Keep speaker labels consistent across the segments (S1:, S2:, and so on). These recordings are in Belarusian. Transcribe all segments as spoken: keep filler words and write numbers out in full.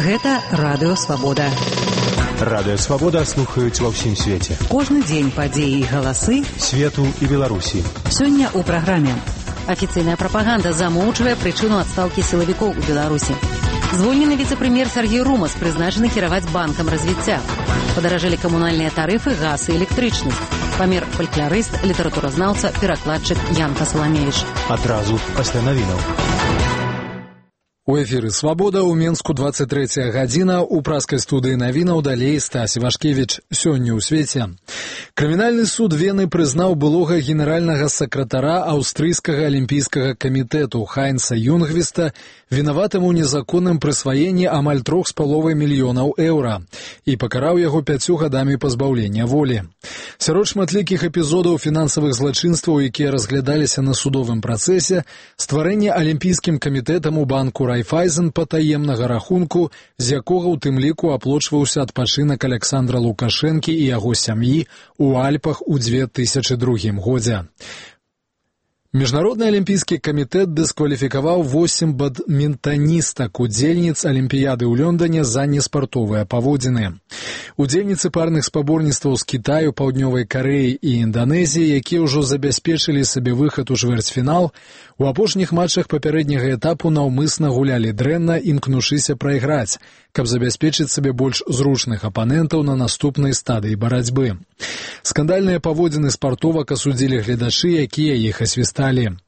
S1: Гэта Радыё Свабода.
S2: Радыё Свабода слухаюць ва ўсім свеце.
S1: Кожны дзень падзеі і галасы
S2: свету і Беларусі.
S1: Сёння ў праграме. Афіцыйная прапаганда замоўчвае прычыну адстаўкі сілавікоў у Беларусі. Звольнены віцэ-прэм'ер Сергей Румас прызначаны кіраваць банкам развіцця. Падаражэлі камунальныя тарыфы, газ і электрычнасць. Памер фалькларыст, літаратуразнаўца, перакладчык Янка Саламевіч.
S2: Адразу пасля навінаў.
S3: У эфіры «Свабода» ў Менску двадцать третья гадзіна, у праскай студыі навінаў далей Стась Івашкевіч. Сёння ў свеце. Крымінальны суд Вены прызнаў былога генеральнага сакратара аўстрыйскага алімпійскага камітэту Хайнца Юнгвіста вінаватым у незаконным прысваенні амаль трох з паловай мільёнаў еўра і пакараў яго пяццю гадамі пазбаўлення волі. Сярод шматлікіх эпізодаў фінансавых злачынстваў, якія разглядаліся на судовым працэсе, стварэнне алімпійскім камітэтам у банку Райфайзен патаемнага рахунку, з якога ў тым ліку аплочваўся адпачынак Александра Лукашэнкі і яго сям'і у Альпах у две тысячы другім годзе. Міжнародны алімпійскі камітэт дыскваліфікаваў восем бадмінтаністак, удзельніц алімпіяды ў Лондоне за неспартовыя паводзіны. Удзельніцы парных спаборніцтваў з Кітаю, Паўднёвай Карэі і Інданезіі, якія ўжо забяспечылі сабе выхад у чвэрцьфінал, у апошніх матчах папярэдняга этапу наўмысна гулялі дрэнна, імкнушыся прайграць, каб забяспечыць сабе больш зручных апанентаў на наступнай стадыі барацьбы. Скандальныя паводзіны спартовак асудзілі гледачы, якія іх асвісталі.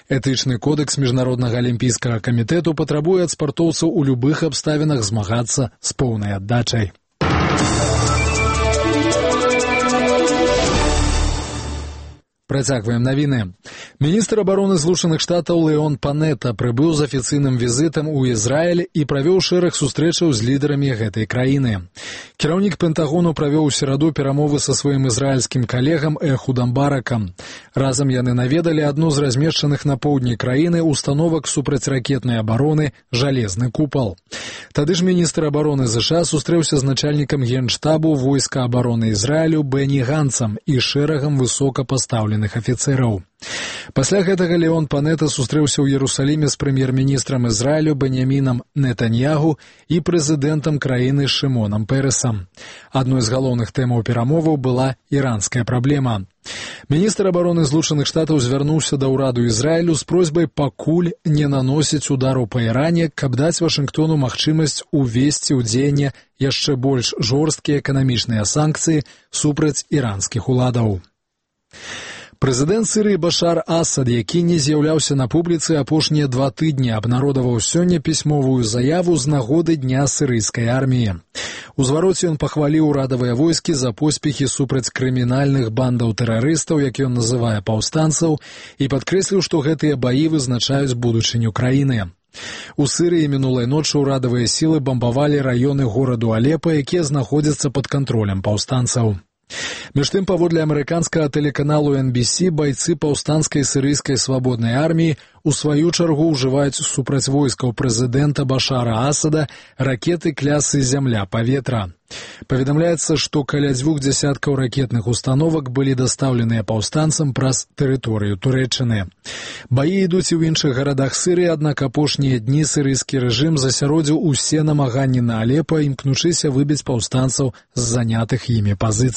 S3: Этычны кодэкс Міжнароднага алімпійскага камітэту патрабуе ад спартоўцаў у любых абставінах змагацца з поўнай аддачай. Працягваем навіны. Міністр абароны Злучаных Штатаў Леон Панета прыбыў з афіцыйным візітам у Ізраіль і правёў шэраг сустрэчаў з лідарамі гэтай краіны. Кіраўнік Пентагону правёў у сераду перамовы са сваім ізраільскім калегам Эхудам Баракам. Разам яны наведалі адну з размешчаных на поўдні краіны установак супрацьракетнай абароны «Жалезны купал». Тады ж міністр абароны ЗША сустрэўся з начальнікам генштабу войска абароны Ізраілю Бэні Ганцам і шэрагам высокапастаўленых афіцэраў. Пасля гэтага Леон Панета сустрэўся ў Ерусаліме з прэм'ер-міністрам Ізраілю Беньямінам Нетаньягу і прэзідэнтам краіны Шымонам Перэсам. Адной з галоўных тэмаў перамоваў была іранская праблема. Міністр абароны Злучаных Штатаў звярнуўся да ўраду Ізраілю з просьбай пакуль не наносіць удару па Іране, каб даць Вашынгтону магчымасць увесці ў дзеянне яшчэ больш жорсткія эканамічныя санкцыі супраць іранскіх уладаў. Прэзідэнт Сірыі Башар Асад, які не з'яўляўся на публіцы апошнія два тыдні, абнародаваў сёння пісьмовую заяву з нагоды Дня сірыйскай арміі. У звароце ён пахваліў урадавыя войскі за поспехі супраць крымінальных бандаў тэрарыстаў, як ён называе паўстанцаў, і падкрэсліў, што гэтыя баі вызначаюць будучыню краіны. У Сірыі мінулай ночы ўрадавыя сілы бамбавалі раёны гораду Алепа, якія знаходзяцца пад кантролем паўстанцаў. Між тым, паводле амерыканскага тэлеканалу эн би си, байцы паўстанцкай сірыйскай свабоднай арміі у сваю чаргу ўжываюць супраць войскаў прэзідэнта Башара Асада ракеты клясы «Зямля-паветра». Паведамляецца, што каля дзвюх дзясяткаў ракетных установак былі дастаўленыя паўстанцам праз тэрыторыю Турэччыны. Баі ідуць і ў іншых гарадах Сірыі, аднак апошнія дні сірыйскі рэжым засяродзіў усе намаганні на Алепа, імкнучыся выбіць паўстанцаў з занятых імі пазіцый.